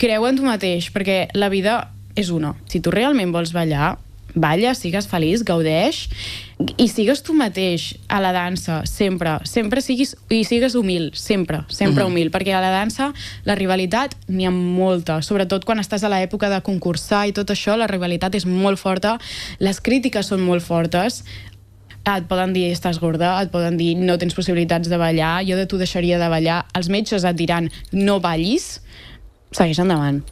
creu en tu mateix, perquè la vida és una. Si tu realment vols ballar, balla, sigues feliç, gaudeix i sigues tu mateix a la dansa, sempre siguis humil, sempre humil, perquè a la dansa la rivalitat n'hi ha molta, sobretot quan estàs a l'època de concursar i tot això, la rivalitat és molt forta, les crítiques són molt fortes, et poden dir estàs gorda, et poden dir no tens possibilitats de ballar, jo de tu deixaria de ballar, els metges et diran no ballis, segueix endavant.